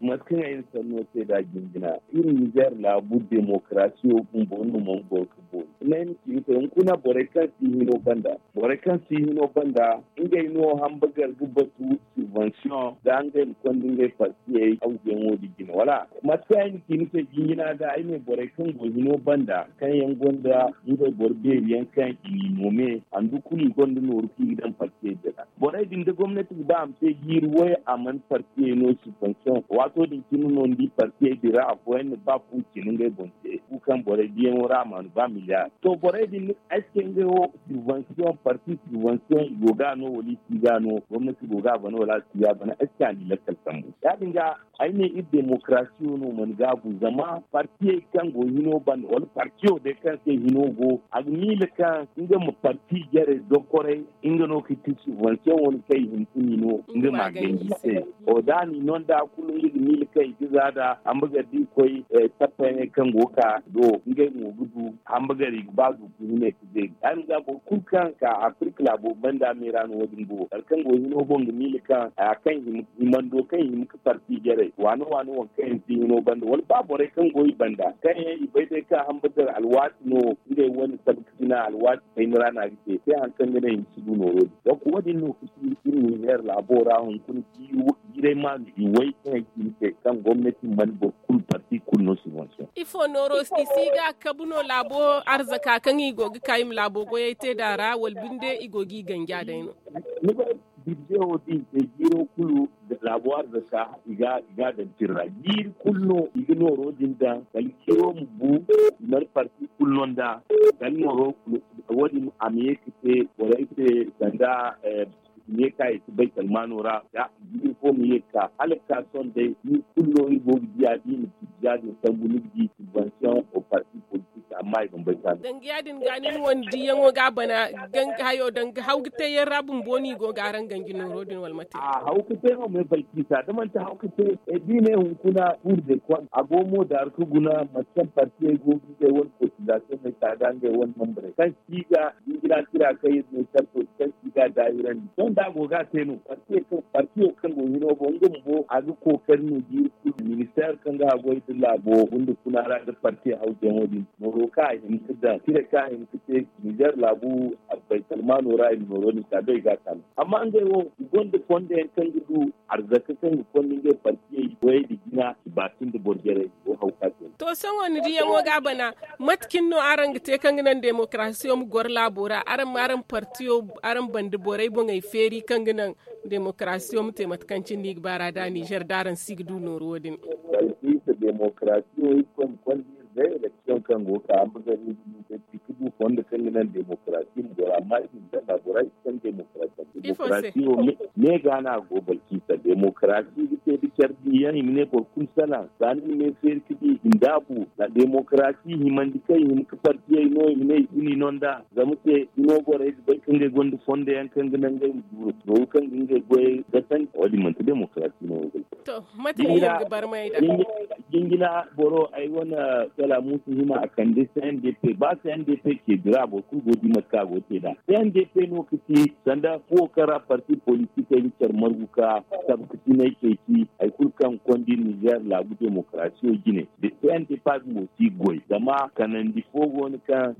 Mate kaŋ ay na sanno te nd'a jinjina iri nizer laabu demokarasiyo bumbo no mana goro ka boori. Hunkuna borey kaŋ si hino banda borey kaŋ si hino banda ngey no hambagar ga batu subvention za ngey ma konda ngey partiyey hawzuyaŋo din jine wala? Mate kaŋ ay na ci ni se jinjina ga ay ne borey kaŋ go hino banda kaŋ yaŋ gonda ngey boro beeri yaŋ kaŋ i n'i noome handu kulu i gonda nooru kaŋ i ga daŋ partiyey din ra. Borey din da gomnati ga ba a ma te jiiri way a mana partiyey no subvention waato din cine no ni di partiyey din ra afooyaŋ na ba fu cine ngey boŋ te fu kaŋ borey diyaŋo ra a ma a na ba miliyar to borey din ni ay se ngey wo subvention parti subvention i go ga no wala i si ga no gomnati go ga a bana wala a si ga a bana ay se a n'i lakkal sambu ya- din ga ay ne iri demokarasiyo no mana gaabu zama partiyey kaŋ go hino banda wala partiyo day kaŋ se hino go a ga miila kaŋ nga ma parti jarey dokoray nga no ga ti subvention wane kaŋ i hin ga ni no nga ma a ganji se. O da a n'i no nda kulu nga ga miila kaŋ i ga za nda hambagar da i koy tappayaŋey kaŋ go ga ka do ngey mo ga du hambagar i ga ba du ka himey ka zeeri ya- din ga boro kulu kaŋ ka afirka laabo banda me ra no wo- din go kala kaŋ go hino boŋ ga miila kaŋ himando kaŋ i hima ga parti jarey waano waano waŋ kaŋ yaŋ si hino banda wala ba borey kaŋ go i banda kaŋ yaŋ i bay day kaŋ hambagar alwaati no ngey wane sabu ka jina alwaati kayna ra no a ga te se hari kaŋ ga naŋ i ma si du nooro din donk wo- din no ga ci iri nizer laabo ra hunkuna jiiray maanu iway kaŋ ay ci ni se kaŋ gomnati mana boro kulu parti kulu no subvention. Ifo nooro i si ga kabu no laabo arzaka kaŋ i go ga ka i ma laabo goyey te nd'a ra wala binde i go ga i ganji a day no? Ni bay birje wo da i te jiiro kulu laabo arzaka i ga a daŋ tira ra jiiri kulu no i ga nooro din daŋ kala jiiro ma bu i mana parti kulu no nd'a kala nooro kulu wo- din a ma ye ga te borey se sanda i ma ye ga ka i si bay salmaano ra da jiiri fo ma ye ga ka hala ga ka sohõ day jiiri kulu no iri go ga diya da i na tijja din sambu ni ga di subvention o parti politik amma i mana bay ka no. Danga ya- din ga nin wane diyaŋo ga a bana hayo danga haw ga te yaŋ ra bumbo no i go ga araŋ ganji nooro din wala mate? A haw ga te no me balkisa da manti haw ga te da i ne hunkuna kuur de kont a go mo daaru ga guna mate kaŋ partiyey go ga ngey wane kotizasiyoŋey ka ga ngey wane mambarey kaŋ si ga jinjina tira kaŋ iri ne sarto kaŋ si ga daahirandi sohõ da a go ga a te no partiyo kaŋ go hino boŋ nga bumbo a ga kookari no jiiri kulu ministeer kaŋ ga a goy da laabo gunda kuna ra nda partiyo hawteyaŋo din nooro kaŋ a hin ga daŋ tira kaŋ a hin ga te nizer laabu baytalmaano ra i ma nooro din ka day ga a kaanu amma ngey wo i gonda fondo yaŋ kaŋ ga du arzaka kaŋ ga konda ngey partiyey goyey da jina i baasin da boro jarey go haw ka te. To sohõ ni diyaŋo ga a bana mate cine no araŋ ga te kaŋ ga naŋ demokarasiyo ma goro laabo ra araŋ ma araŋ partiyo araŋ banda borey boŋey feeri kaŋ ga naŋ demokarasiyo ma te mate kaŋ cine no i ga ba ra da nizer da araŋ si ga du nooru wo- din? Demokarasiyo, iri konda iri day eleksiyoŋ kaŋ go ga ka, ambazar iri ga du ga ci ga du fondo kaŋ ga naŋ demokarasi ma goro, amma iri ma ganda bora iri si kaŋ demokarasi. Demokarasiyo me ga no a go balkisa demokarasi ga te da care diyaŋ i ma ne boro kulu salaŋ. Za ni na me feeri ga di i ma daabu. Demokarasi himandi kaŋ i hima ga partiyey no i ma ne i si ni no nd'a. Zama se hino borey ga bay kaŋ ngey gonda fondo yaŋ kaŋ ga naŋ ngey ma duuru nooru kaŋ ga ngey goyey gasandi wo- din manti demokarasi no. To, mate no iri ga barmay da jingina boro ay wane kala musu hima a kande cndp ba cndp ke dira boro kulu go di mate kaŋ a go te da cndp no ga ci sanda fuwo kaŋ ra parti politikey ga care margu ka tabkasinay ceeci hari kulu kaŋ kondi niger laabu demokarasiyo jine da cndp a ga mo si goy zama kanandi fo go no kaŋ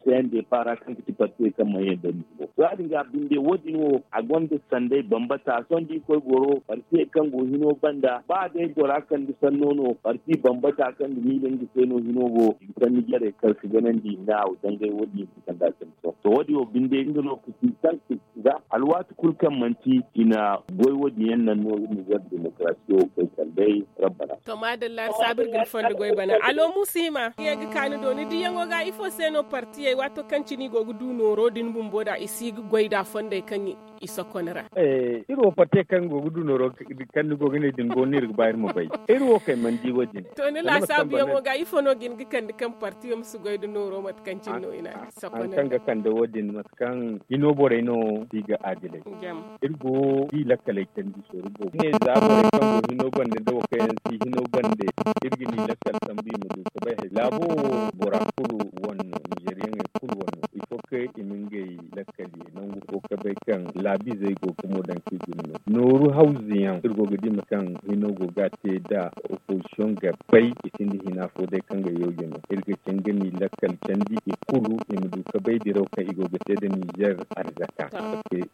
cndp ra kaŋ ga ti partiyey kaŋ mana yaŋ da ni boŋ. To ya- din ga binde wo- din wo a gonda sanday bambata sohõ da i koy goro partiyey kaŋ go hino banda ba day bora kande sanno no parti bambata kaŋ ga miila nga se no hino go i ga sanni jarey kar ga ganandi i ma ne a wo dangay wo- din i ga kande a sanni sohõ to wo- din wo binde nga no ga ci kaŋ ga alwaati kulu kaŋ manti i na goy wo- din yaŋ naŋ no iri ma gar demokarasiyo wo koy kala day rabbana. To maadalla iri saabu iri ga ni fondo goy bana alo musa hima ye ga ka ni do ni diyaŋo ga ifo se no partiyey waato kaŋ cine i go ga du nooro din bumbo da i si ga goy da fondey kaŋ i sokon ra. Iri wo partiyey kaŋ go ga du nooro kaŋ ni go ga ne din go no iri ga ba iri ma bay. Iri wo kay mana di wo- din to ni laasaabuyaŋo ga ifo no ga ni ga kande kaŋ partiyo ma si goy da nooro mate kaŋ cine no i na a ga sokon ra kaŋ ga kande wo- din mate kaŋ hino borey no si ga adilay. Iri go di lakkaley candi sooru boobo ne za borey kaŋ go hino bande da wo kaŋ yaŋ si hino bande iri ga ni lakkal sambu i ma du ga bay hari laabo wo bora kulu wane no nizeriyaŋey kulu wane no ifo kaŋ i ma ngey lakkal ye nangu fo ga bay kaŋ laabizey go ga mo daŋ kaŋ i ga ni no nooru hawzu yaŋ iri go ga di ma kaŋ hino go ga a te da opozisiyoŋ ga bay i sinda hina fo day kaŋ ga yawje no iri ga caŋ ga ni lakkal candi i kulu i ma du ga bay diraw kaŋ i go ga te da nizer arzaka.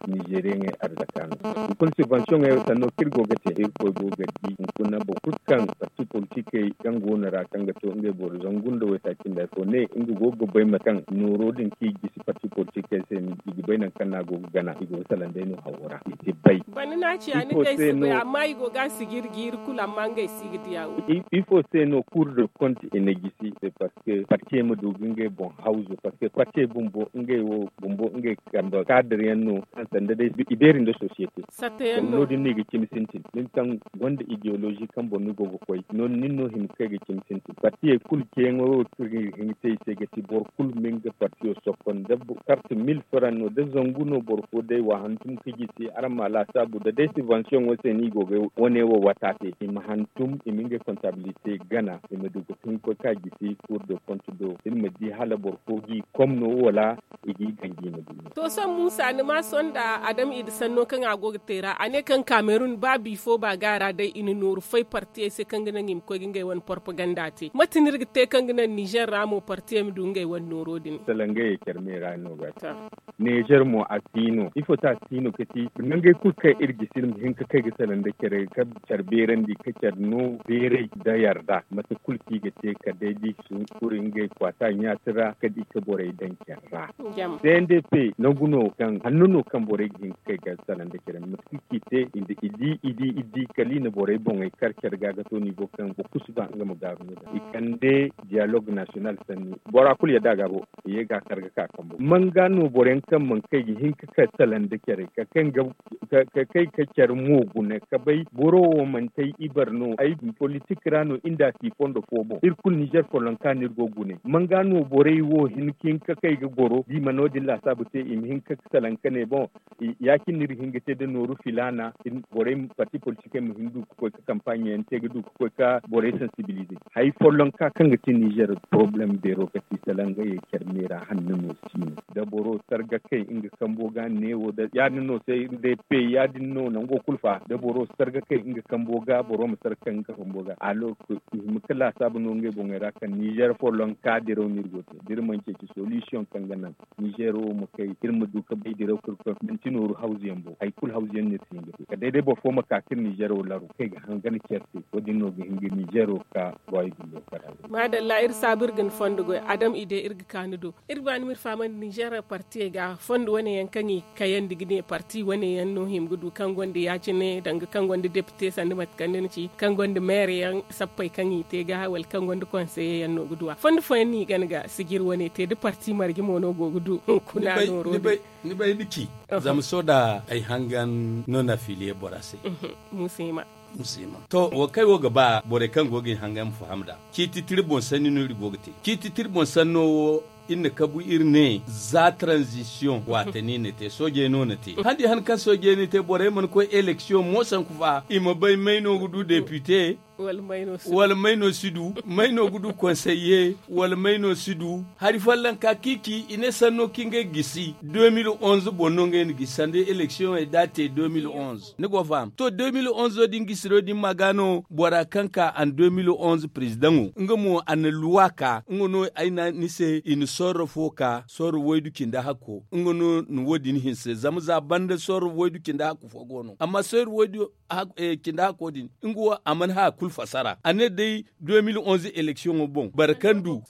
Nizeriyaŋey arzaka no hunkuna sibbansiyoŋey sanno kaŋ iri go ga te irkoy go ga di hunkuna boro kulu kaŋ parti politikey kaŋ go no ra kaŋ ga to ngey boro zangu nda waytaaci nda hari fo ne nga go ga bay mate kaŋ nooro din kaŋ i gisi parti politikey se no i ga bay nangu kaŋ no a go ga gana i go ga salaŋ day no hawo ra i si bay. Banda no a ciya ni day si bay amma i go ga a sijiri ga iri kulu amma ngey si ga diya wo. Ifo se no cour de compte i na gisi se parce que partiyey ma du ga ngey boŋ hawzu parce que partiyey bumbo ngey wo bumbo ngey kambe kaadar yaŋ no kaŋ sanda day i beeri nda société. Satta yaŋ no no- din no i ga cimi sintin nin kaŋ gonda idéologie kaŋ boŋ ni go ga koy no- nin no hima ga kay ga cimi sintin partiyey kulu ceeyaŋo wo kaŋ ga hin ga te i se ga ti boro kulu ma nga partiyo sokkon da karte mil franc no da zangu no boro fo day wa hantum ka gisi araŋ ma a laasaabu da day subvention wo se no i go ga wane wo wata te i ma hantum i ma ngey comptabilité gana i ma du ga hin ga koy ka gisi cour de compte do iri ma di hala boro fo g'i kom no wala i g'i ganji i ma du no. To sohõ muusa ni ma sohõ nda adam i da sanno kaŋ a go ga te ra a ne kaŋ kamerun ba bifo ba ga a ra day i na nooru fay partiyey se kaŋ ga naŋ i ma koy ga ngey wane propaganda te mate no iri ga te kaŋ ga naŋ nizer ra mo partiyey ma du ngey wane nooro din? Salangayey care me ra no ga a te. Nizer mo a si no ifo se a si no ka ti nangey kulu kaŋ iri gisi iri ma hin ga kay ga salaŋ nda care ka care beerandi ka care no beeray nda yarda mate kulu kaŋ i ga te kala day da i si kuri ngey kwaata ɲaati ra kala i ga borey daŋ care ra. Cndp nangu no kaŋ hanno no kaŋ borey ga hin ga kay ga salaŋ nda care mate kulu kaŋ i te i di i di i di kala i na borey boŋey kar care ga ga to nivo kaŋ boro kulu si ba nga ma gaaru no ga i kande dialogue national sanni bora kulu yadda a ga bo i ye ga kar ga ka kambo manga no boro yaŋ kaŋ mana kay ga hin ga kay salaŋ nda care ka kay ga ka kay ka care mo guna ka bay boro wo manti ay ibar no ay politik ra no inda si fondo fo boŋ iri kulu nizer follonka no iri go gune manga no borey wo hin ka hin ka kay ga goro da i ma no- din laasaabu te i ma hin ka salaŋ ka ne boŋ ya- cine no iri ga hin ga te da nooru filaana borey parti politikey ma hin du ga koy ka kampaaɲe yaŋ te ga du ga koy ka borey sensibilize hari follonka kaŋ ga ti nizer poroblem beero ga ti salangayey care me ra hanno no si no da boro sarga kay nga kambo ga neewo da ya- din no se day pey ya- din no nango kulu fa da boro sarga kay nga kambo ga boro ma sarga kay nga kambo ga alors que i hima ga laasaabu no ngey boŋey ra kaŋ nizer follonka diraw no iri go te da iri mana ceeci solution kaŋ ga naŋ nizer wo ma kay iri ma du ga bay diraw ka iri koy Manti nooru hawzu yaŋ bo, hari kulu hawzu yaŋ no iri si hin ga te kala day day boro fo ma ka ka iri ninzeero laru kaŋ i ga hangan care se. Wo- din no ga hin ga ninzeero ka ruwaayi gullo kala. Maadalla, iri saabu iri ga ni fondo goy. Adam, i day iri ga ka ni do. Iri ga ba ni ma iri fahamandi ninzeero partiyey ga fondo wane yaŋ kaŋ i kayandi ga ne parti wane yaŋ no hima ga du kaŋ gonda ya- cine danga kaŋ gonda depite sanda mate kaŋ ni na ci, kaŋ gonda meere yaŋ sappey kaŋ i te ga wala kaŋ gonda konseye yaŋ no ga du a fondo fooyaŋ no i gana ga sijiri wane te da parti marje mo no go ga du hunkuna nooro din. Ni bay ni ci. Zama sohõ da ay hangan no na filiye bora se. Museema. To, wo kaŋ ay wo ga ba borey kaŋ go ga i hangan ma faham nd'a. Ciiti tira boŋ sanni no iri go ga te. Ciiti tira boŋ sanno wo iri na kabu iri ne za tranzisiyoŋ waate no i na te soojey no na te handi han kaŋ soojey na te borey mana koy eleksiyoŋ mo sanku fa i ma bay may no ga du depite, wala may no si du, may no ga du konseye, wala may no si du. Hari folloŋ ka kiici i ne sanno kaŋ ngey gisi de mil onze boŋ no ngey na gisi sanda eleksiyoŋey da a te de mil onze ni go faham to de mil onze din gisiro din ma ga no bora kaŋ ka an de mil onze prezidaŋo nga mo a na luwa ka nga no ay na ni se i na sorro fo ka sorro waydu cindi hakko nga no na wo- din hinse zama za banda sorro waydu cindi hakko fo go no amma sorro waydu cindi hakko din nga wo a mana haya kulu fasara a ne day de mil onze eleksiyoŋo boŋ boro kaŋ du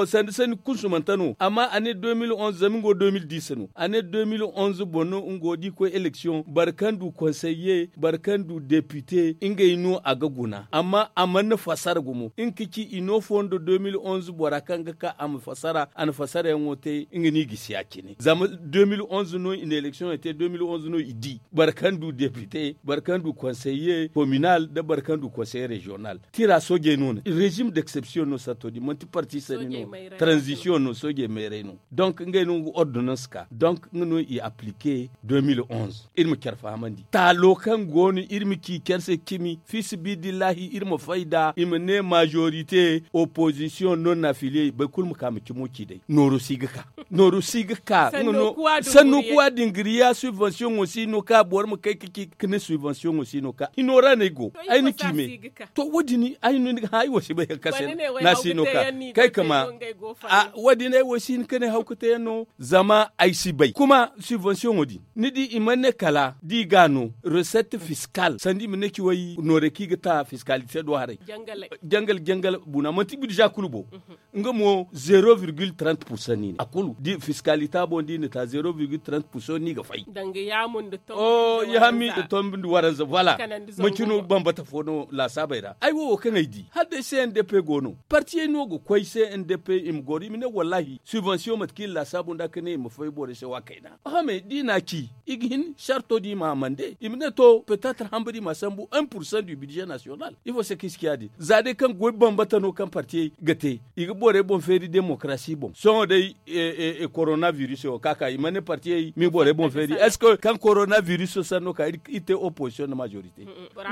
sanda sanni kunsumante no amma a ne de mil onze zama nga wo de mil dis no a ne de mil onze boŋ no nga wo da i koy eleksiyoŋ boro kaŋ du konseye boro kaŋ du depite ngey no a ga guna amma a mana fasara gumo nga ka ci i no fondo de mil onze bora kaŋ ga ka a ma fasara a na fasarayaŋo te nga no i gisi ya- cine zama de mil onze no i na eleksiyoŋey te de mil onze no i di boro kaŋ du depite boro kaŋ du konseye kominal nda boro kaŋ du konseye reziyonal tira soojey no no rezim d'eksepsiyoŋ no santo din manti parti sanni no tranzisiyoŋ no soojey meerey no donk ngey no nga ordonans ka donk nga no i aplike de mil onze iri ma care fahamandi taalo kaŋ go no iri ma ci care se cimi fiisabilillahi iri ma fay nd'a i ma ne majorite opozisiyoŋ no na afiliyey boro kulu ma ka ma cimo ci day nooru si ga ka nooru si ga ka sanno kuwa dingiriya subvensiyoŋo si no ka boro ma kay ka ci ka ne subvensiyoŋo si no ka hino ra no ay go ay na ci me to wo- din ay no ni ga hã ay wo si bay hari kaŋ se no a si no ka kay ka ma wo- din ay wo si hin ka ne hawkate yaŋ no zama ay si bay kuma subvensiyoŋo din ni di i mana ne kala da i ga no resette fiskal sanda i ma ne ci way noorey kaŋ i ga ta fiskalite do haray jangal jangal buna manti budza kulu bo nga mo zero virgil trente pourcent no i ne a kulu da fiskalita boŋ da i na ta zero virgil trente pourcent no i ga fay ya hammi nda tombi nda waranza voilà manci no bambata fo no laasaabey ra ay wo wo kaŋ ay di hala day cndp go no partiyey no ga koy cndp i ma goro i ma ne wallahi subvensiyoŋ mate kaŋ i na laasaabu nd'a ka ne i ma fay borey se wa kayna oho me da i na a ci i ga hin sarto da i ma a mande i ma ne to petetre hamba da i ma a sambu un pourcent du budget national ifo se kaŋ i si ci ya- din za day kaŋ goy bambata no kaŋ partiyey ga te i ga borey boŋ feeri demokarasi boŋ sohõ day korona viruso wo ka ka i mana ne partiyey ma i borey boŋ feeri est ce que kaŋ korona viruso sanno ka iri te opozisiyoŋ nda majorite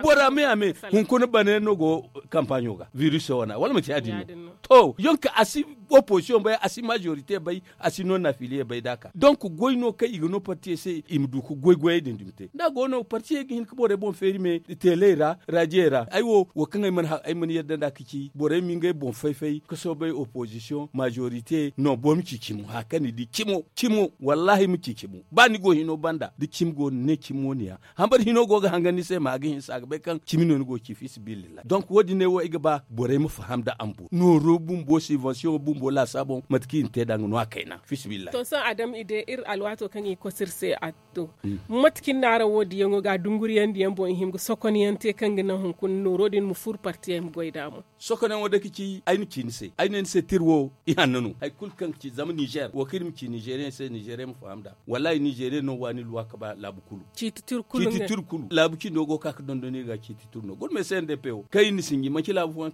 bora me a me hunkuna bane no go kampaɲo ga viruso wana wala manti ya- din no to yonka a si opozisiyoŋ bay a si majorite bay a si no nafiliye bay da a ka donk goy no kaŋ i ga no partiyey se i ma du ga goy goyey din dumi te da a go no partiyey ga hin ga borey boŋ feeri me teley ra radiyey ra ay wo wo kaŋ ay mana yadda nd'a ga ci borey ma ngey boŋ fay-fay ga soobay opozisiyoŋ majorite no boro ma ci cimo hari kaŋ ni di cimo cimo wallahi ma ci cimo ba ni go hino banda da cimi go ni ne cimi wo ni ya hambari hino go ga hangan ni se ma a ga hinsa a ga bay kaŋ cimi no ni go ga ci fiisabilillahi donk wo- din ne wo ay ga ba borey ma faham nda ambo nooro bumbo sibansiyoŋo bumbo laasaabo mate kaŋ i na te nd'a nga no a kayna fiisabilillahi to sohõ adam i de iri alwaato kaŋ i ga koso iri se a to mate kaŋ ni na araŋ wo diyaŋo ga dunguriyaŋ diyaŋ boŋ i hima ga sokonyaŋ te kaŋ ga naŋ hunkuna nooro din ma furu partiyey ma goy nd'a mo sokonayaŋo day ka ci ay na ci ni se ay ne ni se tira wo ihanno no hari kulu kaŋ ga ci zama nizer wo kaŋ iri ma ci nizeriyaŋ se nizeriyaŋ ma faham nd'a wallahi nizeriyaŋ no waani luwa ka ba laabu kulu ciiti tira kulu laabu cindo go ga ka ga dondon iri ga ciiti tira no guna me se nda pewo kaŋ iri na sinji manci laabu fooyaŋ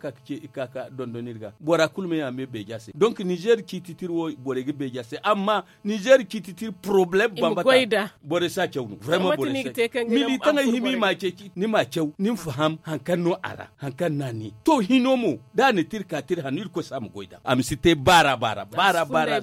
ka ga dondon iri ga bora kulu me a me beeja se donk nizer ciiti tira wo borey ga beeja se amma nizer ciiti tira poroblem bambata borey si a caw no vraiment borey si a caw militaŋey hima i ma a ceeci ni ma a caw ni ma faham hari kaŋ no a ra hari kaŋ no a ne to hino mo da a na tira ka tira hanno irkoy se a ma goy nd'a a ma si te baara baara baara baara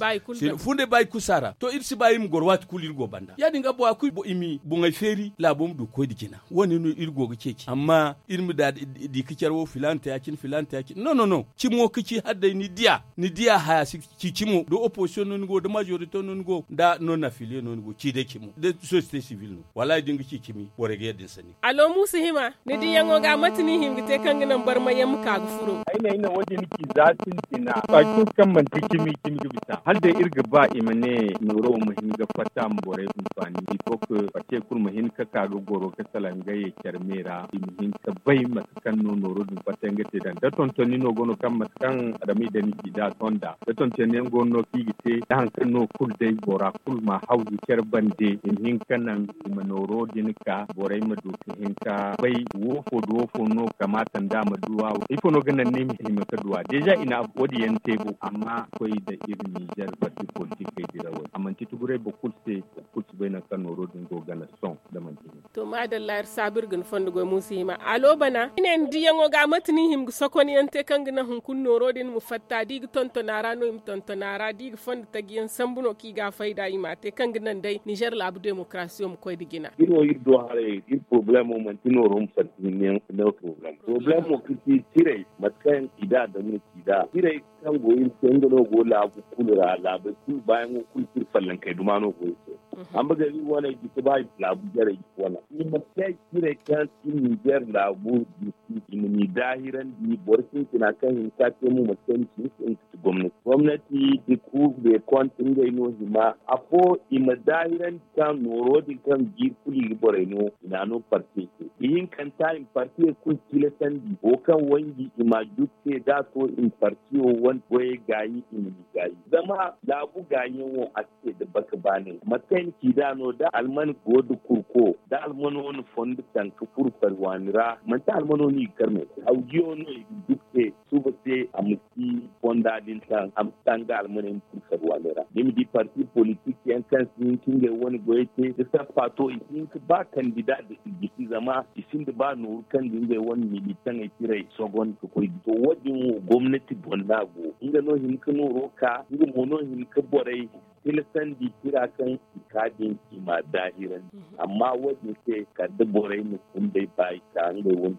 fundey ba i kulu si a ra to iri si ba iri ma goro waati kulu iri go banda ya- din ga bora kulu i ma boŋey feeri laabo ma du ga koy nda jina wo- ne no iri go ga ceeci amma iri ma da di ka care wo filaana te ya- cine filaana te ya- cine no no no cimo ga ci hala day ni diya ni Ciya haya si ci cimo da opposition no ni go da majorité no ni go da non affilié no ni go ci day cimo da société civile no. Wallahi da ni ga ci cimi borey ga yadda ni sanni. Alo muusa hima, ni diyaŋo ga mate no i hima ga te kaŋ ga naŋ barmayyaŋ ma ka ga furo? Ay ne ay na wo- din ci za sintina. Ba kulu kaŋ manti cimi cimi ga bisa hala day iri ga ba i ma ne nooro wo ma hin ga fatta ma borey hunfaani. Ifo ka fatte kulu ma hin ga ka ga goro ga salaŋ ngey care me ra i ma hin ga bay mate kaŋ no nooro din fatta nga te daŋ da tontoni no go no kaŋ mate kaŋ adama i daŋ ni ci da a tonda da tontoni yaŋ go no no kaŋ i ga te da hari kaŋ no kulu day bora kulu ma hawzu care bande i ma hin ga naŋ i ma nooro din ka borey ma du ka hin ka bay woofo da woofo no kamaata nda a ma duwa. Ifo no ga naŋ ni ma hima ka duwa deeza i na wo- din yaŋ te bo amma koy nda iri nizer parti politikey dirawey a manti tuguray boro kulu se. Boro kulu si bay nangu kaŋ nooro din go gana sohõ da manti ni. To maadalla iri saabu iri ga ni fondo goy muusa hima alo bana i ne ni diyaŋo ga mate no i hima ga sokonyaŋ te kaŋ ga naŋ hunkuna nooro din ma fatta da i ga tonton a ra no i ma tonton a ra da i ga fondo taji yaŋ sambu no kaŋ i ga a fayda i ma a te kaŋ ga naŋ day nizer laabu demokarasiyo ma koy nda jina. Iri wo iri do haray iri porobalemo manti nooro ma fatta hinne no porobalemo porobalemo kaŋ ti tiray mate kaŋ i da adama na ci da tiray kaŋ go iri se nga no go laabu kulu ra laabey kulu baayaŋo kulu kaŋ iri fallankey duma no go iri se. Amma gari wane jisi ba laabu jarey jisi wane i ma te ciray kaŋ iri nizer laabu jisi i ma ni daahirandi boro sintina kaŋ hin ka te mo mate kaŋ ni si hin ka ti gomnati gomnati da kuuru da konti ngey no hima afo i ma daahirandi kaŋ nooro din kaŋ jiiri kulu i ga borey no i na no parti te ihinkanta i ma parti kulu tilasandi wo kaŋ wanji i ma jukte da a to i ma parti wo wane goyey gaayi i ma ni gaayi zama laabu gaayiyaŋo a si te da baka baanay mate kaŋ i na ci da no da alman go da kurko da almano na fondo taŋ ka furo farwaani ra manti almano no i ga kar me hawjiyo no i ga jukte suba se a ma si fonda din taŋ a ma si taŋ ga almaney ma furo farwaaney ra ni ma di parti politik yaŋ kaŋ si hin ka ngey wane goyey te da sappa to i si hin ka ba kandida da i gisi zama i sinda ba nooru kaŋ ga ngey wane militaŋey tirey sogon ka koy ga to wo- din wo gomnati boŋ no a go nga no hin ka nooro ka nga mo no hin ka borey tilasandi tira kaŋ i ka din i ma daahirandi amma wo- din se kala da borey ma kundey ba i ka ngey wane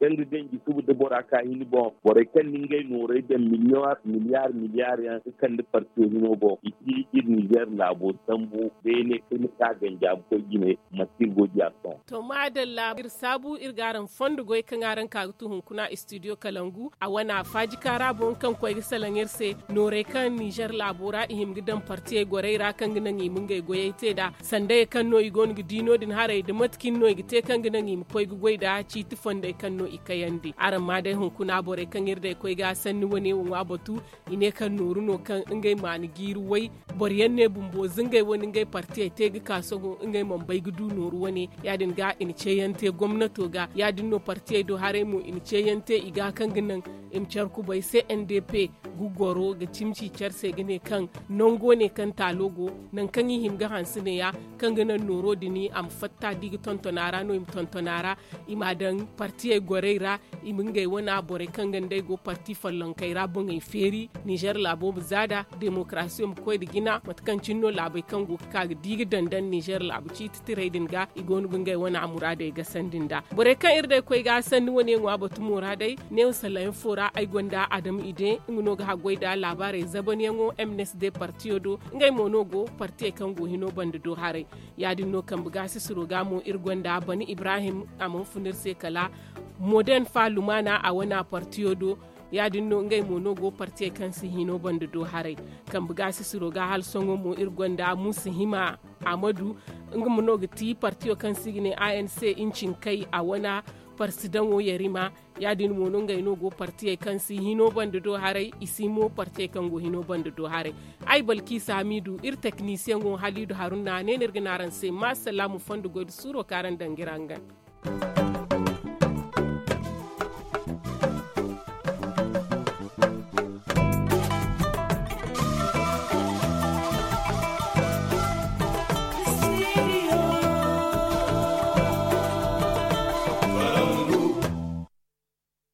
kaŋ ga ganji suba da bora ka hini boŋ borey kaŋ na ngey noorey daŋ miliyar miliyar yaŋ ka kande partiyo hino boŋ i si iri nizer laabo sambu beene kaŋ ni ka ganji a ga koy jine mate iri go diya sohõ. To maadalla iri saabu iri ga araŋ fondo goy kaŋ araŋ ka ga tu hunkuna studio kalangu a wana faaji kaara boŋ kaŋ koy ga salaŋ iri se noorey kaŋ nizer laabo ra i hima ga daŋ partiyey gorey ra kaŋ ga naŋ i ma ngey goyey te nd'a sandayey kaŋ no i go no ga di no- din haray nda mate cine no i ga te kaŋ ga naŋ i ma koy ga goy nd'a ciiti fondey kaŋ no i kayandi araŋ ma day hunkuna borey kaŋ iri day koy ga sanni wane wo ŋwa batu i ne kaŋ nooru no kaŋ ngey ma ni jiiri way boro yaŋ ne bumbo za ngey wane ngey partiyey te ga ka sohõ ngey mana bay ga du nooru wane ya- din ga i na ceeyaŋ te gomnato ga ya- din no partiyey do haray mo i na ceeyaŋ te i ga kaŋ ga naŋ i ma care kubay se n d p ga goro ga cimci care se ga ne kaŋ nango ne kaŋ taalo go nangu kaŋ i hima ga hanse neeya kaŋ ga naŋ nooro din a ma fatta da i ga tonton a ra no i ma tonton a ra i m'a daŋ partiyey gorey ra i ma ngey wane borey kaŋ ga nd'ey go parti follonkey ra boŋey feeri nizer laabo ma za nd'a demokarasiyo ma koy nda jina mate kaŋ cine no laabey kaŋ go ga ka ga di ga daŋ daŋ nizer laabu ciiti tirey din ga i go no ga ngey wane muraadey gasandi nd'a borey kaŋ iri day koy ga sanni wane ŋwa batu muraadey neewo salayaŋ fo ra ay gonda adama ide nga no ga haggoy nda laabaarey zabanyaŋo m n s d partiyo do ngey mo no go partiyey kaŋ go hino banda do haray ya- din no kambe gaasisiro ga mo iri gonda bani ibrahim a mana fun iri se kala modern fa lumana a wana partiyo do ya- din no ngey mo no go partiyey kaŋ si hino banda do haray kambe gaasisiro ga hala sohõ mo iri gonda muusa hima amadu nga mo no ga ti partiyo kaŋ se i ga ne a n c incinkey a wana parsidaŋo yarima ya- din mo no ngey no go partiyey kaŋ si hino banda do haray i si mo partiyey kaŋ go hino banda do haray ay balkiisa hamiidu iri teknisiyaŋo haliidu haruna ne no iri ga ne araŋ se ma salaamu fondo goy nda suuro kaŋ araŋ daŋ ga iri hangan